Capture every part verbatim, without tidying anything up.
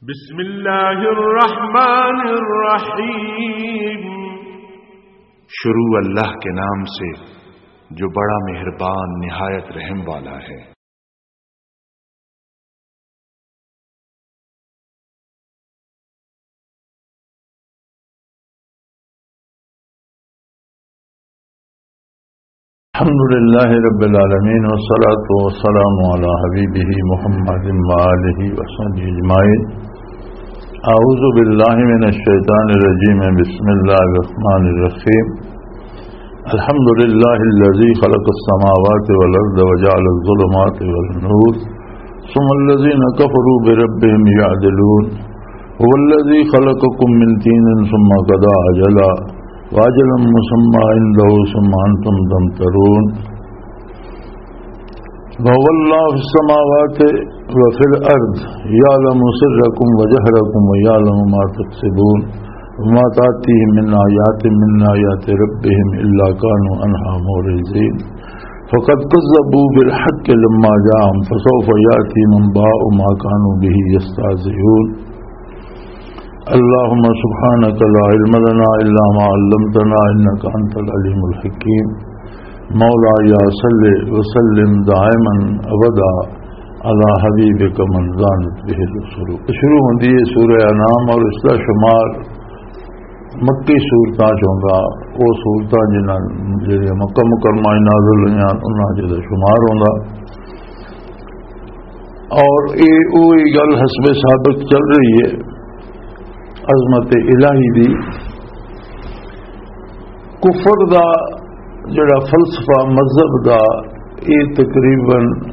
بسم اللہ الرحمن الرحیم۔ شروع اللہ کے نام سے جو بڑا مہربان نہایت رحم والا ہے۔ الحمد لله رب العالمين، والصلاة والسلام على حبيبه محمد وآله وصحبه أجمعين. أعوذ بالله من الشيطان الرجيم. بسم الله الرحمن الرحيم. الحمد لله الذي خلق السماوات والأرض وجعل الظلمات والنور، ثم الذين كفروا بربهم يعدلون. هو الذي خلقكم من طين ثم قضى أجلا وأجلا مسمى عنده ثم أنتم تمترون. وهو الله في السماوات وفي الأرض يعلم سركم وجهركم ويعلم ما تكسبون. وما تأتيهم من آيات من آيات ربهم إلا كانوا عنها معرضين. فقد كذبوا بالحق لما جاءهم فسوف يأتيهم أنباء ما كانوا به يستهزئون. اللهم سبحانك لا علم لنا إلا ما علمتنا إنك أنت العليم الحكيم. مولاي صل وسلم دائما أبدا على حبيبك من زانت به الرسل. شروع ہوندی ہے سورہ انعام اور اس دا شمار مکی سورتاں چ ہوندا، او سورتاں جنہاں جڑیاں مکہ مکرمہ وچ نازل ہوئیاں، انہاں چ دا شمار ہوندا۔ اور اے اوہی گل حسب سابق چل رہی ہے عظمت الہی دی۔ کفر دا جڑا فلسفہ مذہب دا، اے تقریباً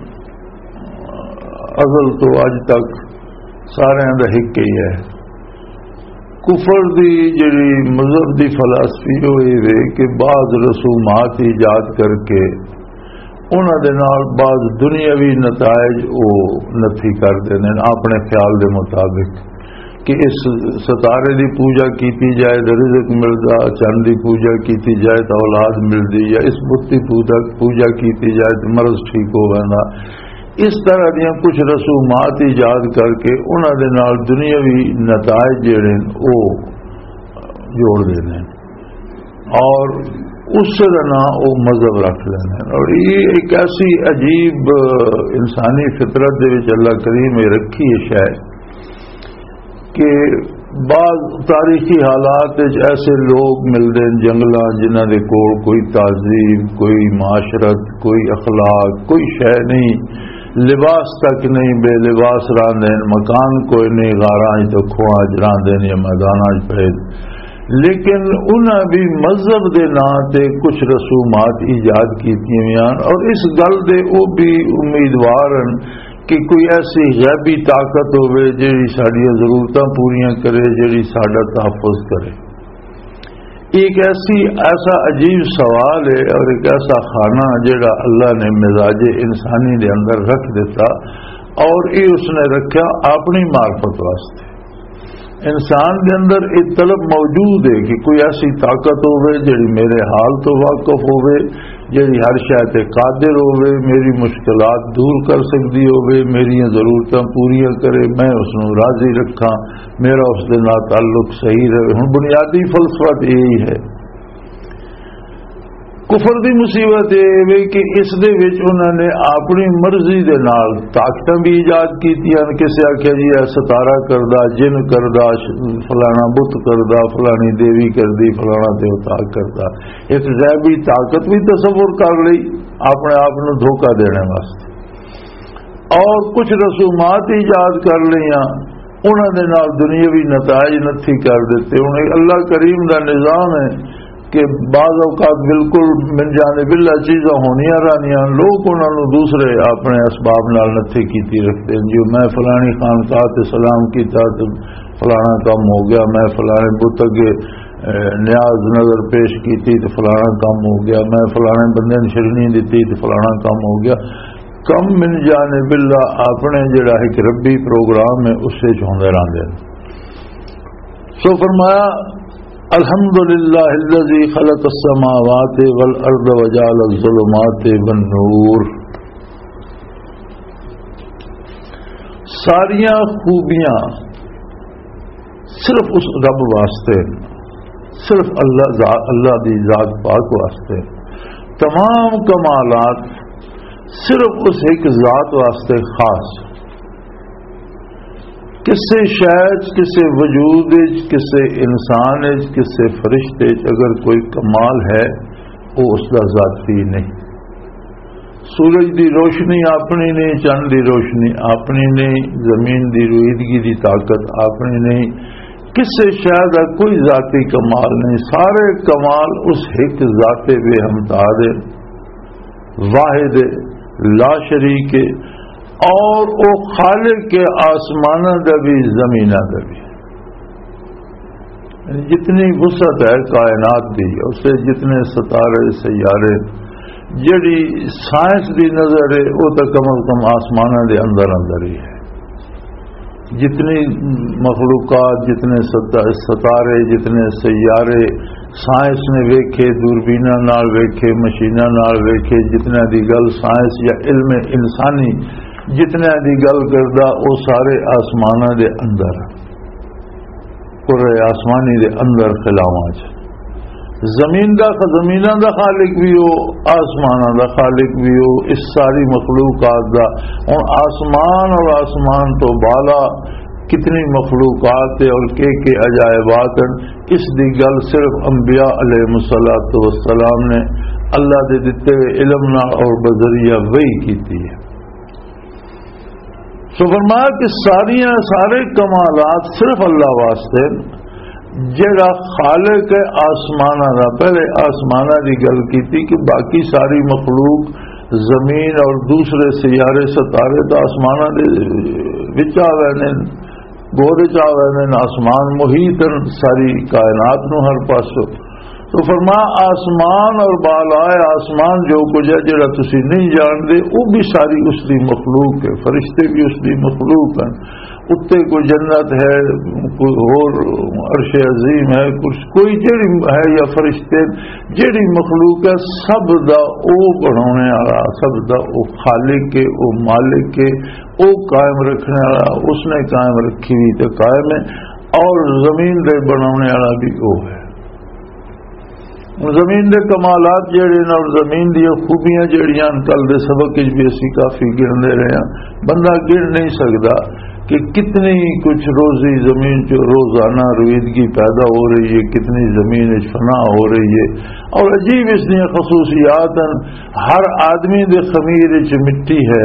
ازل تو اج تک سارے دا ہک ہی ہے۔ کفر دی جڑی مذہب دی فلسفی او اے وے کہ بعض رسومات ایجاد کر کے انہاں دے نال بعض دنیاوی نتائج او نفی کر دیندے نے اپنے خیال دے مطابق، کہ اس ستارے دی پوجا کیتی جائے تے رزق ملدا، چند دی پوجا کیتی جائے تے اولاد ملدی، یا اس بت دی پوجا، پوجا کیتی جائے تے مرض ٹھیک ہو ویندا۔ اس طرح دیاں کچھ رسومات ایجاد کر کے انہاں دے نال دنیاوی نتائج جڑے نے او جوڑ دیندے نے اور اس دا نام او مذہب رکھ لیندے نے۔ اور یہ ایک ایسی عجیب، آ، انسانی فطرت دے وچ اللہ کریم نے رکھی ہے شے کہ بعض تاریخی حالات وچ ایسے لوگ ملدے نے جنگلاں، جنہاں دے کول کوئی تہذیب، کوئی معاشرت، کوئی اخلاق، کوئی شے نہیں، لباس تک نہیں، بے لباس راندے نے، مکان کوئی نہیں، غاراں وچ تے کھوہاں وچ راندے نے یا میداناں وچ پئے۔ لیکن انہاں بھی مذہب دے ناں تے کچھ رسومات ایجاد کیتیاں ہوئیاں اور اس گل دے او بھی امیدوار ہن کہ کوئی ایسی غیبی طاقت ہووے جڑی ساڈیاں ضرورتاں پوریاں کرے، جڑی ساڈا تحفظ کرے۔ یہ ایک ایسی، ایسا عجیب سوال ہے اور ایک ایسا خانہ جڑا اللہ نے مزاج انسانی دے اندر رکھ دیتا اور یہ اس نے رکھا اپنی معرفت واسطے۔ انسان دے اندر ایک طلب موجود ہے کہ کوئی ایسی طاقت ہووے جڑی میرے حال تو واقف ہووے، جڑی ہر شے تے قادر ہووے، میری مشکلات دور کر سکدی ہووے، میریاں ضرورتاں پوریاں کرے، میں اس نوں راضی رکھاں، میرا اس دے نال تعلق صحیح رہے۔ ہن بنیادی فلسفہ تے یہی ہے۔ کفر دی مصیبت یہ ہے کہ اس دے وچ انہاں نے اپنی مرضی دے نال طاقتاں بھی ایجاد کیتیاں۔ کسے آکھیا جی اے ستارہ کردا، جن کردا، ش-، فلانا بت کردا، فلانی دیوی کردی، فلانا دیوتا کردا۔ ایک غیبی طاقت بھی تصور کر لئی اپنے آپ نوں دھوکا دینے واسطے، اور کچھ رسومات ایجاد کر لئیاں، انہاں دے نال دنیاوی نتائج نتھی کر دتے۔ ہن اے اللہ کریم دا نظام ہے کہ بعض اوقات بالکل من جانب اللہ چیزاں ہونیاں رہنیاں، لوگ انہاں نوں دوسرے اپنے اسباب نال نتھی کیتی رکھتے ہیں۔ جی میں فلانی خانقاہ تے سلام کیتا تے فلانا کام ہو گیا، میں فلانے بت اگے، اے، نیاز نظر پیش کیتی تے فلانا کام ہو گیا، میں فلانے بندے نوں شرنی دتی تے فلانا کام ہو گیا۔ کم من جانب اللہ اپنے جڑا ایک ربی پروگرام ہے، اس وچ ہوندے رہندے نے۔ سو فرمایا، الحمدللہ الذی خلق السماوات والارض وجعل الظلمات والنور۔ ساریاں خوبیاں صرف اس رب واسطے، صرف اللہ ذا-، اللہ دی ذات پاک واسطے۔ تمام کمالات صرف اس ایک ذات واسطے خاص۔ کسے شے چ، کسے وجود چ، کسے انسان چ، کسے فرشتے چ اگر کوئی کمال ہے، وہ اس دا ذاتی نہیں۔ سورج دی روشنی اپنی نہیں، چند دی روشنی اپنی نہیں، زمین دی رویدگی دی طاقت اپنی نہیں، کسے شے دا کوئی ذاتی کمال نہیں۔ سارے کمال اس ایک ذات بے ہمتا دے، واحد، لا شریک ہے، اور او خالق کے آسمانہ دا بھی، زمینہ دا بھی۔ یعنی جتنی وسعت ہے کائنات دی، اس سے جتنے ستارے، سیارے، جڑی سائنس دی نظر ہے، وہ تو کم از کم آسمانہ دے اندر اندر ہی ہے۔ جتنی مخلوقات، جتنے ستا-، ستارے، جتنے سیارے سائنس نے ویکھے، دوربیناں نال ویکھے، مشیناں نال ویکھے، جتنیاں دی گل سائنس یا علم انسانی، جتنیاں دی گل کردا، او سارے آسماناں دے اندر، کرے آسمانی دے اندر خلاواں چ۔ زمین دا، زمیناں دا خالق بھی ہو، آسماناں دا خالق بھی ہو، اس ساری مخلوقات دا۔ ہن آسمان اور آسمان تو بالا کتنی مخلوقات ہے اور کے کے عجائبات ہیں، اس دی گل صرف انبیاء علیہ الصلوۃ والسلام نے اللہ دے دتے ہوئے علم نال اور بذریعہ وحی کیتی ہے۔ سو فرمایا کہ ساریاں، سارے کمالات صرف اللہ واسطے، جڑا خالق ہے آسماناں دا۔ پہلے آسماناں دی گل کیتی کہ باقی ساری مخلوق، زمین اور دوسرے سیارے ستارے تو آسماناں دے وچ آ ویندے نے، گود وچ آ ویندے نے، آسمان محیط ہیں ساری کائنات نو ہر پاسوں۔ تو فرمایا، آسمان اور بالائے آسمان جو کچھ ہے، جڑا تسی نہیں جاندے، وہ بھی ساری اس دی مخلوق ہے، فرشتے بھی اس دی مخلوق ہیں۔ اتنے کوئی جنت ہے، کوئی اور عرش عظیم ہے، کچھ کوئی جڑی ہے یا فرشتے، جڑی مخلوق ہے، سب دا او بنانے والا، سب دا او خالق ہے، او مالک ہے، او قائم رکھنے والا، اس نے قائم رکھی ہوئی تے قائم ہے، اور زمین دے بنانے والا بھی او ہے۔ زمین دے کمالات جڑے نے اور زمین دی خوبیاں جڑیاں، کل دے سبق وچ بھی اسی کافی گرندے رہے ہیں، بندہ گر نہیں سکدا کہ کتنی کچھ روزی زمین چ روزانہ رویدگی پیدا ہو رہی ہے، کتنی زمین وچ فنا ہو رہی ہے۔ اور عجیب اس دیاں خصوصیات ہیں، ہر آدمی دے خمیر وچ مٹی ہے،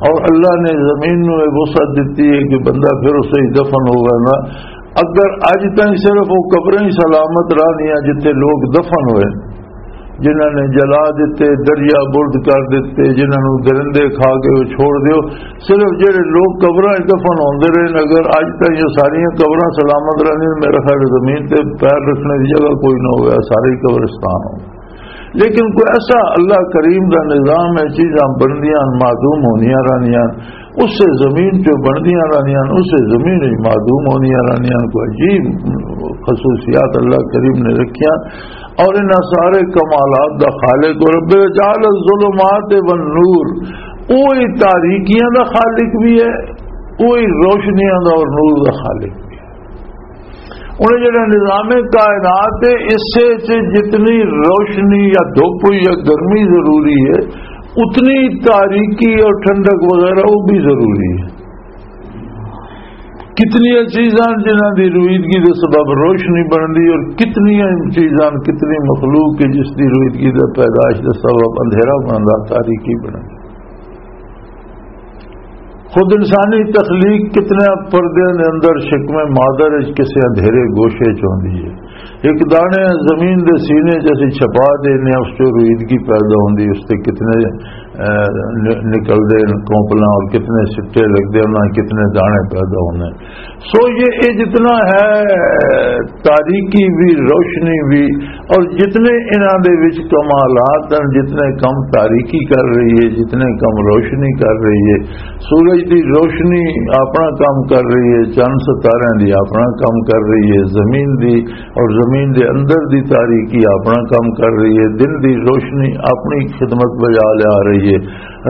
اور اللہ نے زمین نو یہ وسعت دتی ہے کہ بندہ پھر اسے ہی دفن ہوگا نا۔ اگر اج تائیں صرف وہ قبریں ہی سلامت رہنیاں جتھے لوگ دفن ہوئے، جنہاں نے جلا دتے، دریا برد کر دتے، جنہاں نو درندے کھا کے وہ چھوڑ دیو، صرف جڑے لوگ قبراں وچ دفن ہوندے رہے، اگر اج تائیں یہ ساریاں قبراں سلامت رہنیاں، میرا خیال زمین تے پیر رکھنے دی جگہ کوئی نہ ہویا، سارے ہی قبرستان ہو۔ لیکن کوئی ایسا اللہ کریم دا نظام ہے، چیزاں بندیاں، معدوم ہونیاں رہنیاں، اس سے زمین چ بندیاں رہنیاں، اس سے زمین وچ معدوم ہونیاں رہنیاں۔ کوئی عجیب خصوصیات اللہ کریم نے رکھیاں، اور انہاں سارے کمالات دا خالق اور رب جعل الظلمات والنور، وہی تاریکیاں دا خالق بھی ہے، وہی روشنیاں دا اور نور دا خالق بھی ہے۔ انہیں جڑا نظام کائنات ہے، اس سے جتنی روشنی یا دھوپ یا گرمی ضروری ہے، اتنی تاریکی اور ٹھنڈک وغیرہ وہ بھی ضروری ہے۔ کتنی چیزاں جنہاں دی رویدگی دے سبب روشنی بندی، اور کتنی چیزاں، کتنی مخلوق ہے جس دی رویدگی دے پیدائش دے سبب اندھیرا بندا، تاریکی بندا۔ خود انسانی تخلیق کتنے پردے دے اندر شکم مادر وچ کسے اندھیرے گوشے چ ہوندی ہے۔ ایک دانے زمین دے سینے چ اسی چھپا دینے، اس چ رویدگی پیدا ہوندی، اس تے کتنے، اے، ن-، نکلدے نے کونپلاں اور کتنے سٹے لگدے، انہاں کتنے دانے پیدا ہوندے۔ سو یہ، یہ جتنا ہے، تاریکی بھی، روشنی بھی، اور جتنے انہاں دے وچ کمالات ہیں، جتنے کم تاریکی کر رہی ہے، جتنے کم روشنی کر رہی ہے، سورج دی روشنی اپنا کام کر رہی ہے، چند ستارے دی اپنا کام کر رہی ہے، زمین دی اور زمین دے اندر دی تاریکی اپنا کام کر رہی ہے، دن دی روشنی اپنی خدمت بجا لیا رہی ہے،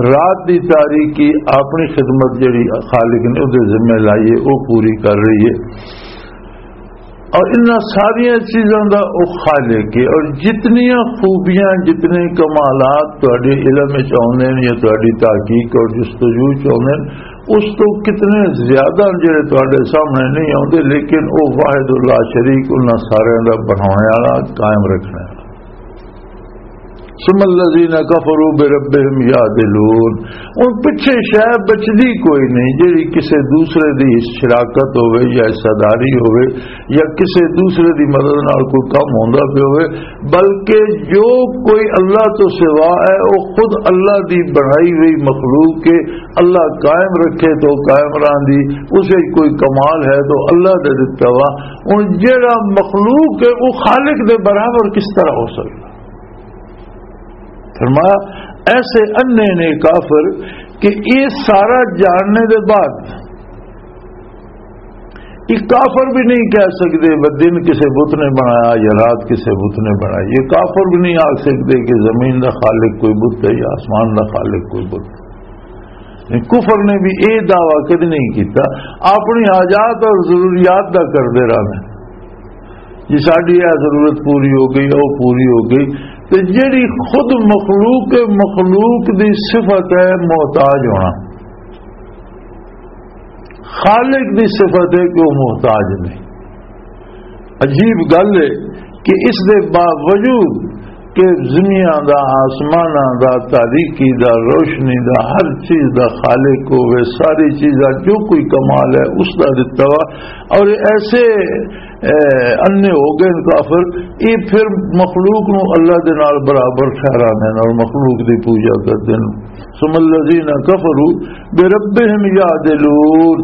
رات دی تاریکی اپنی خدمت جڑی خالق نے اودے ذمہ لائی ہے، وہ پوری کر رہی ہے۔ اور انہاں ساریاں چیزاں دا او خالق ہے۔ اور جتنیاں خوبیاں، جتنے کمالات تہاڈے علم وچ آوندے نے یا تہاڈی تحقیق اور جستجو وچ آوندے نے، اس تو کتنے زیادہ جڑے تہاڈے سامنے نہیں آوندے، لیکن او واحد لا شریک انہاں ساریاں دا بناونے والا، قائم رکھنے والا۔ ثم الذين كفروا بربهم يعدلون۔ ان پچھے شے بچدی کوئی نہیں، جڑی کسے دوسرے دی شراکت ہوئے یا حصہ داری ہوئے یا کسے دوسرے دی مدد نال کوئی کم ہوندا پیا ہوئے، بلکہ جو کوئی اللہ تو سوا ہے، وہ خود اللہ دی بنائی ہوئی مخلوق کے اللہ قائم رکھے تو قائم رہن دی، اسے کوئی کمال ہے تو اللہ دے دتا وا۔ ہن جڑا مخلوق ہے، وہ خالق دے برابر کس طرح ہو سکتا؟ فرمایا، ایسے انے نے کافر کہ یہ سارا جاننے دے بعد یہ کافر بھی نہیں کہہ سکتے، "وہ دن کسے بت نے بنایا یا رات کسے بت نے بنائی۔" یہ کافر بھی نہیں آکھ سکتے کہ زمین دا خالق کوئی بت ہے یا آسمان دا خالق کوئی بت ہے۔ کفر نے بھی یہ دعویٰ کدی نہیں کیتا، اپنی حاجات اور ضروریات دا کردے رہنا۔ جی ساڈی یہ ضرورت پوری ہو گئی، وہ پوری ہو گئی۔ تے جڑی خود مخلوق، مخلوق دی صفت ہے محتاج ہونا، خالق دی صفت ہے کہ وہ محتاج نہیں۔ عجیب گل ہے کہ اس دے باوجود کہ زمیاں دا، آسماناں دا، تاریکی دا، روشنی دا، ہر چیز دا خالق ہوئے، ساری چیزاں جو کوئی کمال ہے اس دا دتا وا، اور ایسے، اے، انے ہو گئے کافر، یہ پھر مخلوق نو اللہ دے نال برابر ٹھہراندے نے اور مخلوق دی پوجا کردے نے۔ ثم الذين كفروا بربهم يعدلون۔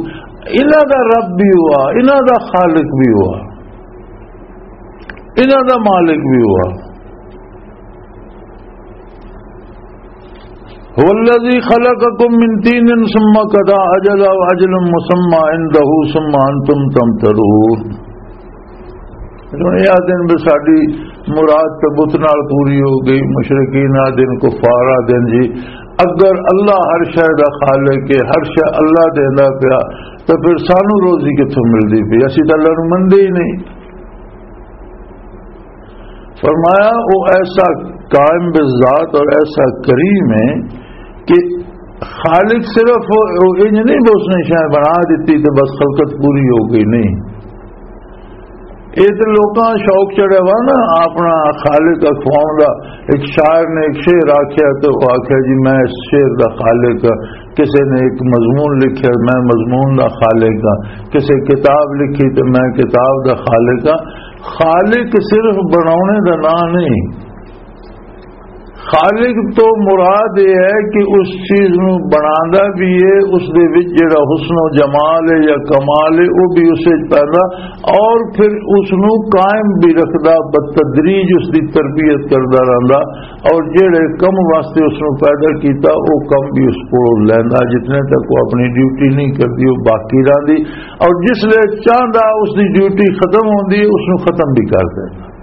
انہاں دا رب بھی ہوا، انہاں دا خالق بھی ہوا، انہاں دا مالک بھی ہوا۔ هو الذي خلقكم من طين ثم قضى أجلا وأجل مسمى عنده ثم أنتم تمترون۔ ہن یہ آدھے نے بھی ساڈی مراد تے بت نال پوری ہو گئی، مشرکین آدھے نے، کفار آدھے نے، جی اگر اللہ ہر شے دا خالق ہے، ہر شے اللہ دیندا پیا، تو پھر سانو روزی کتھوں ملدی پئی؟ اسی تے اللہ نو مندے ہی نہیں۔ فرمایا، وہ ایسا قائم بالذات اور ایسا کریم ہے کہ خالق صرف وہ انج نہیں، بس اس نے شے بنا دیتی تو بس خلقت پوری ہو گئی، نہیں۔ یہ تو لوکاں شوق چڑھیا وا نا اپنا خالق اکھواؤن دا۔ ایک شاعر نے ایک شعر آکھیا تو وہ آکھیا، "جی میں اس شعر دا خالق ہاں۔" کسے نے ایک مضمون لکھیا، "میں مضمون دا خالق ہاں۔" کسے کتاب لکھی تو میں کتاب دا خالق ہاں۔ خالق صرف بناونے دا نام نہیں۔ خالق تو مراد یہ ہے کہ اس چیز نو بنانا بھی ہے، اس دے وچ جڑا حسن و جمال ہے یا کمال ہے، وہ بھی اس وچ پیدا، اور پھر اس نو قائم بھی رکھدا، بتدریج اس دی تربیت کردا رہندا، اور جڑے کم واسطے اس نو پیدا کیتا، وہ کم بھی اس کو لیندا، جتنے تک وہ اپنی ڈیوٹی نہیں کردی، وہ باقی رہندی، اور جس لے چاہندا اس دی ڈیوٹی ختم ہوندی ہے، اس نو ختم بھی کر دیندا۔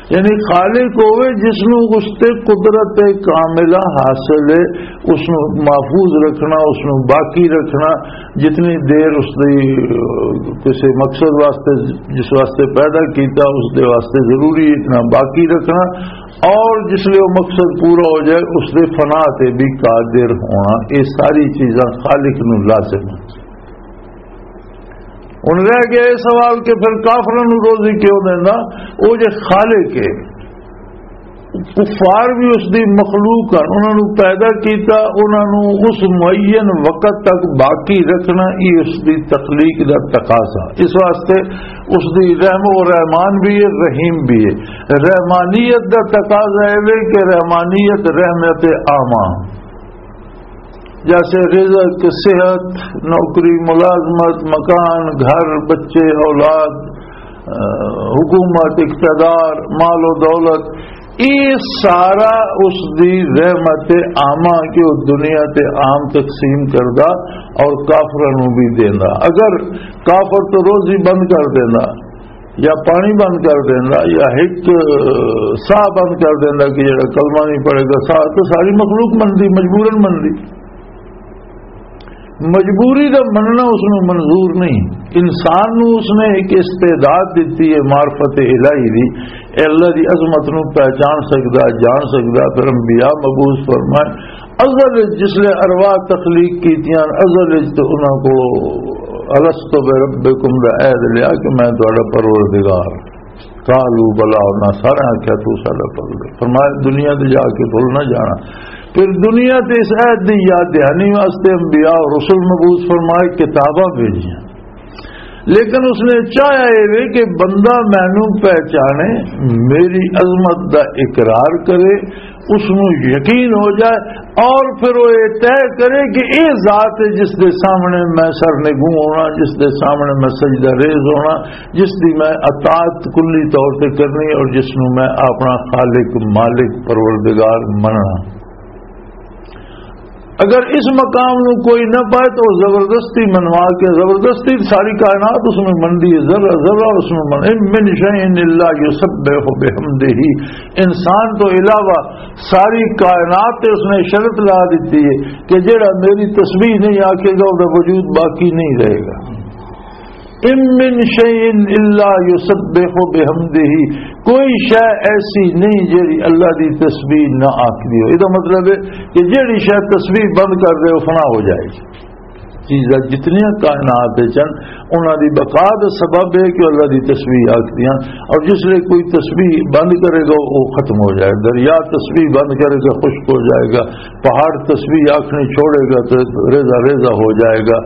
یعنی خالق ہوئے جس نو اس تے قدرت کاملہ حاصل ہے، اس نو محفوظ رکھنا، اس نو باقی رکھنا، جتنی دیر اس دی، کسی مقصد واسطے، جس واسطے پیدا کیتا، اس دے واسطے ضروری اتنا باقی رکھنا، اور جس لئے وہ مقصد پورا ہو جائے، اس دے فنا تے بھی قادر ہونا، یہ ساری چیزاں خالق نو لازم ہیں۔ ہن رہ گیا یہ سوال کہ پھر کافراں نوں روزی کیوں دیندا؟ او جے خالق ہے، کفار بھی اس دی مخلوق ہن، انہاں نوں پیدا کیتا، انہاں نوں اس معین وقت تک باقی رکھنا، یہ اس دی تخلیق دا تقاضا۔ اس واسطے اس دی رحم و رحمان بھی ہے، رحیم بھی ہے۔ رحمانیت دا تقاضا اے وے کہ رحمانیت رحمت عامہ، جیسے رزق، صحت، نوکری، ملازمت، مکان، گھر، بچے، اولاد، آ، حکومت، اقتدار، مال و دولت، یہ سارا اس دی رحمت عامہ کہ وہ دنیا تے عام تقسیم کردہ اور کافراں نوں بھی دیندا۔ اگر کافر تو روزی بند کر دیندا، یا پانی بند کر دینا، یا ایک ساہ بند کر دینا کہ جڑا کلمہ نہیں پڑھے گا، ساہ تو ساری مخلوق بندی، مجبوراً بندی۔ مجبوری دا مننا اس نوں منظور نہیں۔ انسان نوں اس نے ایک استعداد دتی ہے معرفت الہی دی، اے اللہ دی عظمت نوں پہچان سکدا، جان سکدا۔ پھر انبیاء مبعوث فرمائے، ازل وچ جس لے ارواح تخلیق کیتیاں، ازل وچ تے انہاں کو الست بربکم دا عہد لیا کہ میں تہاڈا پروردگار۔ قالوا بلا، انہاں سارے آکھیا، تو ساڈا پروردگار۔ فرمایا، دنیا تے جا کے بھول نہ جانا۔ پھر دنیا تے اس عہد دی یاد دہانی واسطے انبیاء اور رسول مبعوث فرمائے، کتاباں بھیجیاں۔ لیکن اس نے چاہیا اے وے کہ بندہ مینوں پہچانے، میری عظمت دا اقرار کرے، اس نوں یقین ہو جائے، اور پھر وہ یہ طے کرے کہ یہ ذات ہے جس دے سامنے میں سر نگوں ہونا، جس دے سامنے میں سجدہ ریز ہونا، جس دی میں اطاعت کلی طور تے کرنی اور جس نوں میں اپنا خالق، مالک، پروردگار مننا۔ اگر اس مقام نو کوئی نہ پائے تو زبردستی منوا کے، زبردستی ساری کائنات اس میں منڈی ہے، ذرہ ذرہ اس میں من، ان من شیء الا یسبح بحمدہ۔ انسان تو علاوہ ساری کائنات تے اس نے شرط لا دیتی ہے کہ جیڑا میری تسبیح نہیں آکھے گا، وہ وجود باقی نہیں رہے گا۔ ان من شیء الا یسبح بحمدہ، کوئی شے ایسی نہیں جیڑی اللہ دی تسبیح نہ آکھدی ہو۔ یہ مطلب ہے کہ جیڑی شے تسبیح بند کر دے، وہ فنا ہو جائے گی۔ چیزاں جتنیاں کائنات وچ ہن، انہاں دی بقا دا سبب ہے کہ اللہ دی تسبیح آکھدیاں، اور جس لے کوئی تسبیح بند کرے گا، وہ ختم ہو جائے گا۔ دریا تسبیح بند کرے گا، خشک ہو جائے گا۔ پہاڑ تسبیح آکھنی چھوڑے گا تو ریزہ ریزہ ہو جائے گا۔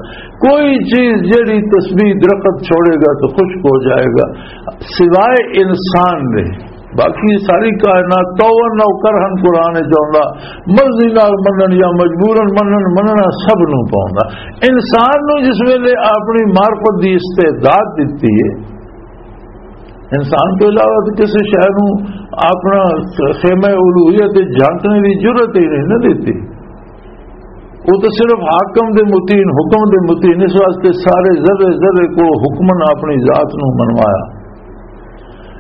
کوئی چیز جیڑی تسبیح درخت چھوڑے گا تو خشک ہو جائے گا، سوائے انسان دے۔ باقی ساری کائنات تو نو کرہن قرآن چاہتا، مرضی نال منن یا مجبورن منن، مننا سب نو پاؤندا۔ انسان نو جس ویلے اپنی معرفت دی استعداد دتی ہے، انسان تو علاوہ تو کسی شے نو اپنا خیمہ الوہیت تے جھانکنے دی جرت ہی نہیں نہ دیتی۔ وہ تو صرف حاکم دے متین، حکم دے متین، اس واسطے سارے ذرے ذرے کو حکمن اپنی ذات نو منوایا۔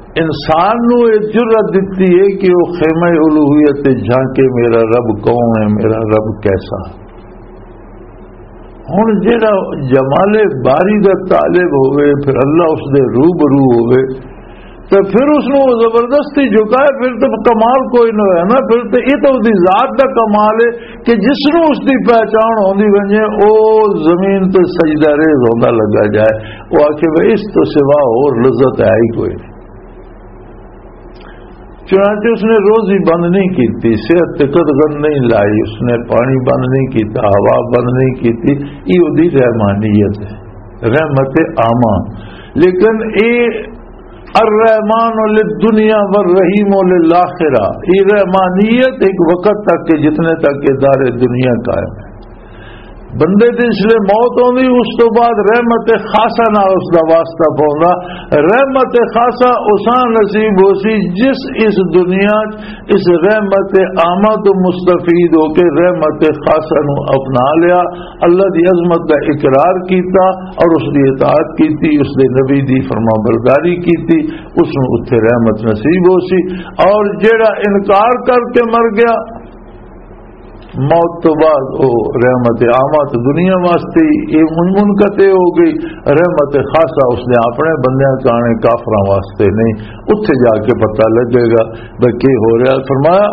انسان نو یہ جرت دتی ہے کہ وہ خیمہ الوہیت تے جھانکے، میرا رب کون ہے، میرا رب کیسا۔ ہن جیڑا جمال باری دا طالب ہوئے، پھر اللہ اس دے روبرو ہوئے، تے پھر اس نوں زبردستی جھکائے، پھر تے کمال کوئی نہ ہویا نا۔ پھر تے یہ تو اس دی ذات دا کمال ہے کہ جس نوں اس دی پہچان ہوندی ونجے، او زمین تے سجدہ ریز ہوندا لگا جائے، او آکھے، "بھئی، اس تو سوا اور لذت ہے ہی کوئی نہیں۔" چنانچہ اس نے روزی بند نہیں کیتی، صحت تے قدغن نہیں لائی، اس نے پانی بند نہیں کیتا، ہوا بند نہیں کیتی۔ یہ دی رحمانیت ہے، رحمت عامہ۔ لیکن اے الرحمن للدنیا والرحیم للآخرہ، یہ رحمانیت ایک وقت تک ہے جتنے تک یہ دار دنیا قائم ہے۔ بندے تے اس لیے موت ہوندی، اس تو بعد رحمت خاصہ نال اس دا واسطہ پوندا۔ رحمت خاصہ اساں نصیب ہو سی جس اس دنیا چ اس رحمت عامہ تو مستفید ہو کے رحمت خاصہ نو اپنا لیا، اللہ دی عظمت دا اقرار کیتا اور اس دی اطاعت کیتی، اس دے نبی دی فرما برداری کیتی، اس نو اتھے رحمت نصیب ہو سی۔ اور جیڑا انکار کر کے مر گیا، موت تو بعد او رحمت عامہ تو دنیا واسطے یہ منقطع ہو گئی، رحمت خاصہ اس نے اپنے بندیاں کانے، کافراں واسطے نہیں۔ اتھے جا کے پتہ لگے گا بھئی کی ہو رہا۔ فرمایا،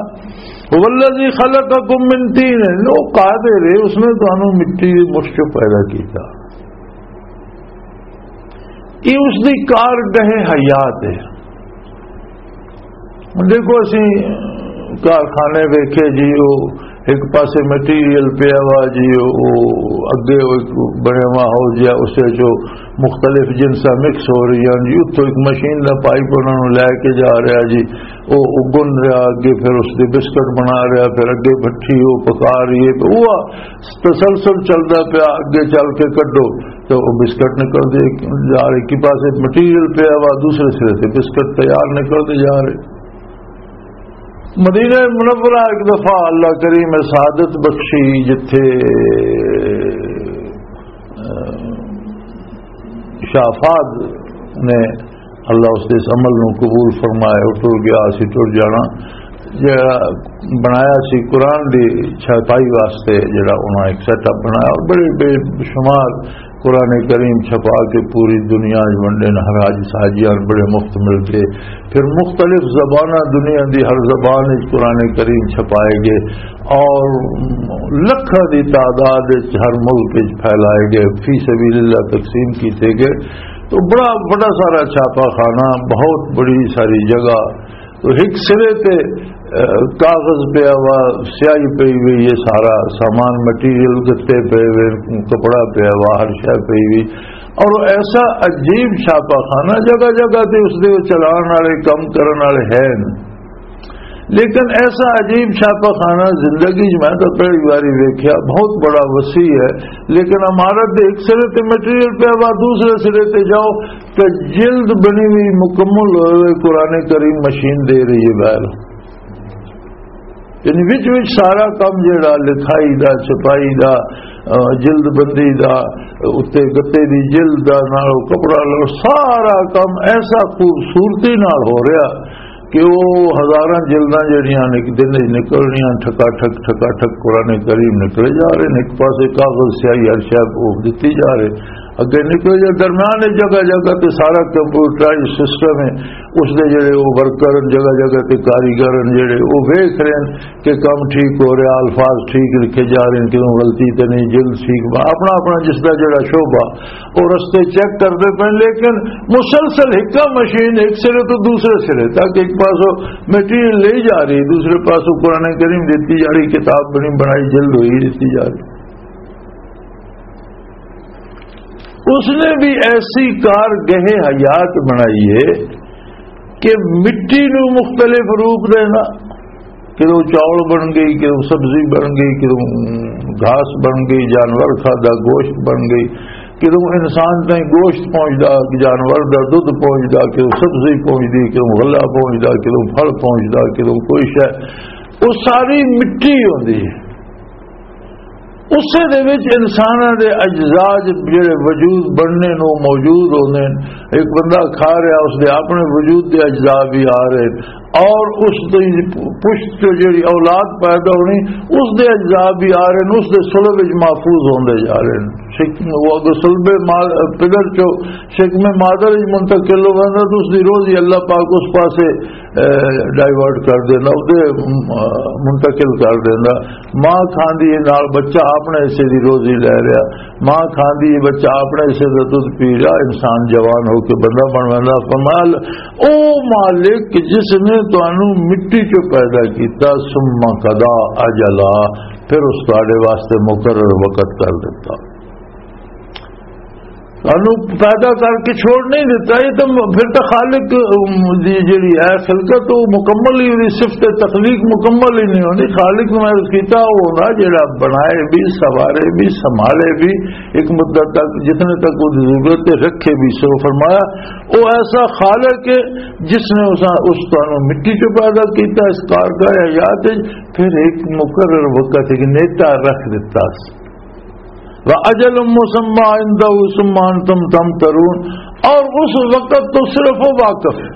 "هو الذی خلقکم من طین"، وہ قادر ہے، اس نے تانوں مٹی دی مٹھ چوں پیدا کیتا۔ یہ اس دی کارگاہ حیات ہے۔ ہن دیکھو، اسی کارخانے ویکھے جی، وہ ایک پاسے مٹیریل پیا وا جی، وہ اگے وہ ایک بنیا وا ہاؤس جا، اس وچ وہ مختلف جنساں مکس ہو رہی ہیں جی، اتھوں ایک مشین دا پائپ انہاں نوں لے کے جا رہا جی، وہ، وہ گن رہا، اگے پھر اس دے بسکٹ بنا رہا، پھر اگے بھٹی وہ پکا رہی ہے، تو وہ تسلسل چلدا پیا، اگے چل کے کڈو تو وہ بسکٹ نکلدے جا رہے، ایک پاسے مٹیریل پیا وا، دوسرے سرے تے بسکٹ تیار نکلدے جا رہے۔ مدینہ منورہ ایک دفعہ اللہ کریم سعادت بخشی، جتھے، اہ، شاہ فہد نے اللہ اس دے اس عمل نو قبول فرمایا، وہ ٹر گیا، اسی ٹر جانا۔ جڑا بنایا سی قرآن دی چھپائی واسطے، جڑا انہاں ایک سیٹ اپ بنایا اور بڑے بے شمار قرآن کریم چھپا کے پوری دنیا وچ ونڈے نے۔ ہر حاج حاجیاں نوں بڑے مفت مل گئے۔ پھر مختلف زباناں، دنیا دی ہر زبان وچ قرآن کریم چھپائے گئے اور لکھاں دی تعداد وچ ہر ملک وچ پھیلائے گئے، فی سبیل اللہ تقسیم کیتے گئے۔ تو بڑا بڑا سارا چھاپا خانہ، بہت بڑی ساری جگہ۔ تو ایک سرے تے، اہ، کاغذ پیا ہوا، سیاہی پئی ہوئی، یہ سارا سامان، مٹیریل، گتے پے ہوئے، کپڑا پیا ہوا، ہر شے پئی ہوئی۔ اور ایسا عجیب چھاپا خانہ، جگہ جگہ تے اس دے چلان والے، کم کرن والے ہیں، لیکن ایسا عجیب چھاپا خانہ زندگی 'چ میں تو پہلی واری ویکھیا۔ بہت بڑا وسیع ہے، لیکن عمارت دے ایک سرے تے مٹیریل پیا ہوا، دوسرے سرے تے جاؤ تے جلد بنی ہوئی مکمل ہوئے ہوئے قرآن کریم مشین دے رہی ہے باہر۔ یعنی وچ وچ سارا کم جڑا لکھائی دا، چھپائی دا، اہ، جلد بندی دا، اتے گتے دی جلد دا، نال کپڑا لو، سارا کم ایسا خوبصورتی نال ہو رہا کہ وہ ہزاراں جلداں جڑیاں نے ایک دن وچ نکلنیاں، ٹھکا ٹھک، ٹھکا ٹھک قرآن کریم نکلے جا رہے نے۔ ایک پاسے کاغذ سیاہی ہر شے کو دتی جا رہے، اگے نکلے جا، درمیان وچ جگہ جگہ تے سارا کمپیوٹرائز سسٹم ہے۔ اس دے جڑے وہ ورکر ہیں، جگہ جگہ تے کاریگر ہیں، جڑے وہ ویکھ رہے ہیں کہ کم ٹھیک ہو رہا، الفاظ ٹھیک لکھے جا رہے ہیں، کیوں غلطی تے نہیں، جلد ٹھیک با-، اپنا اپنا جس دا جڑا شعبہ، وہ رستے چیک کردے پے، لیکن مسلسل ایک مشین ایک سرے تو دوسرے سرے تک، ایک پاسوں مٹیریل لے جا رہی، دوسرے پاسوں قرآن کریم دیتی جا رہی، کتاب بنی بنائی جلد ہوئی دیتی جا رہی۔ اس نے بھی ایسی کارگاہ حیات بنائی ہے کہ مٹی نو مختلف روپ دینا، کدوں چاول بن گئی، کدوں سبزی بن گئی، کدوں گھاس بن گئی، جانور کھادا، گوشت بن گئی، کدوں انسان تائیں گوشت پہنچدا، جانور دا دودھ پہنچدا، کدوں سبزی پہنچدی، کدوں غلہ پہنچدا، کدوں پھل پہنچدا، کدوں کوئی شے۔ وہ ساری مٹی ہوندی ہے۔ اسے دے وچ انساناں دے اجزاء جڑے وجود بننے نو موجود ہوندے نے۔ ایک بندہ کھا رہا، اس دے اپنے وجود دے اجزاء بھی آ رہے نے، اور اس دی پشت چوں جڑی اولاد پیدا ہونی، اس دے اجزاء بھی آ رہے نے، اس دے صلب وچ محفوظ ہوندے جا رہے نے۔ شک-، وہ اگر صلب ماں-، پدر چو شکم مادر وچ منتقل ہو ویندا، تو اس دی روزی اللہ پاک اس پاسے، اے، ڈائیورٹ کر دیندا، اس دے، م-، منتقل کر دیندا۔ ماں کھاندی ہے، نال بچہ اپنے حصے دی روزی لے رہا، ماں کھاندی ہے، بچہ اپنے حصے دا دودھ پی رہا، انسان جوان ہو کے بندہ بن ویندا۔ فرمایا، او مالک جس نے تانوں مٹی چوں پیدا کیتا، ثم قضا اجلا، پھر اس تہاڈے واسطے مقرر وقت کر دیتا۔ سانو پیدا کر کے چھوڑ نہیں دیتا۔ یہ تو م-، پھر تو خالق، ام، دی جڑی ہے خلقت، وہ مکمل ہی، وہی صفت تخلیق مکمل ہی نہیں ہوندی۔ خالق نوں محسوس کیتا، وہ ہوندا جڑا بنائے بھی، سنبھالے بھی، سنبھالے بھی، ایک مدت تک، جتنے تک وہ ضرورت ہے، رکھے بھی۔ سو فرمایا، وہ ایسا خالق ہے جس نے اس، اس تانوں مٹی چوں پیدا کیتا، اس کار کا حیات ہے، پھر ایک مقرر وقت، ایک نیٹا رکھ دیتا۔ وَأَجَلٌ مُّسَمًّى عِندَهُ ثُمَّ أَنتُمْ تَمْتَرُونَ، اور اس وقت تو صرف وہ واقف ہے،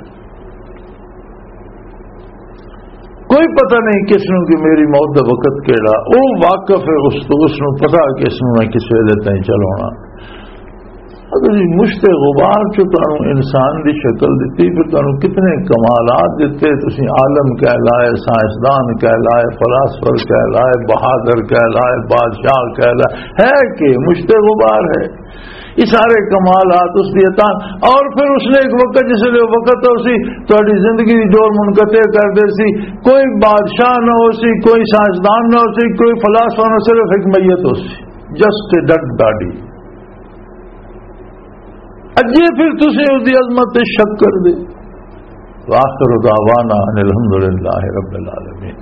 کوئی پتہ نہیں کس نوں کہ میری موت دا وقت کیڑا، وہ واقف ہے اس تو، اس نوں پتہ کہ اس نوں میں کس ویلے تائیں چلاونا۔ اگر یہ مشت غبار چو تانوں انسان دی شکل دتی، پھر تانوں کتنے کمالات دتے، تسی عالم کہلائے، سائنسدان کہلائے، فلاسفر کہلائے، بہادر کہلائے، بادشاہ کہلائے، ہے کہ مشت غبار ہے۔ یہ سارے کمالات اس دی عطا۔ اور پھر اس نے ایک وقت، جس لئے وقت ہو سی، تہاڈی زندگی دی ڈور منقطع کر دے سی، کوئی بادشاہ نہ ہو سی، کوئی سائنسدان نہ ہو سی، کوئی فلاسفہ نہ، صرف ایک میت ہو سی، جسٹ اے ڈیڈ باڈی۔ اجے پھر تسی اس دی عظمت تے شک کر دے۔ وآخر دعوانا ان الحمدللہ رب العالمین۔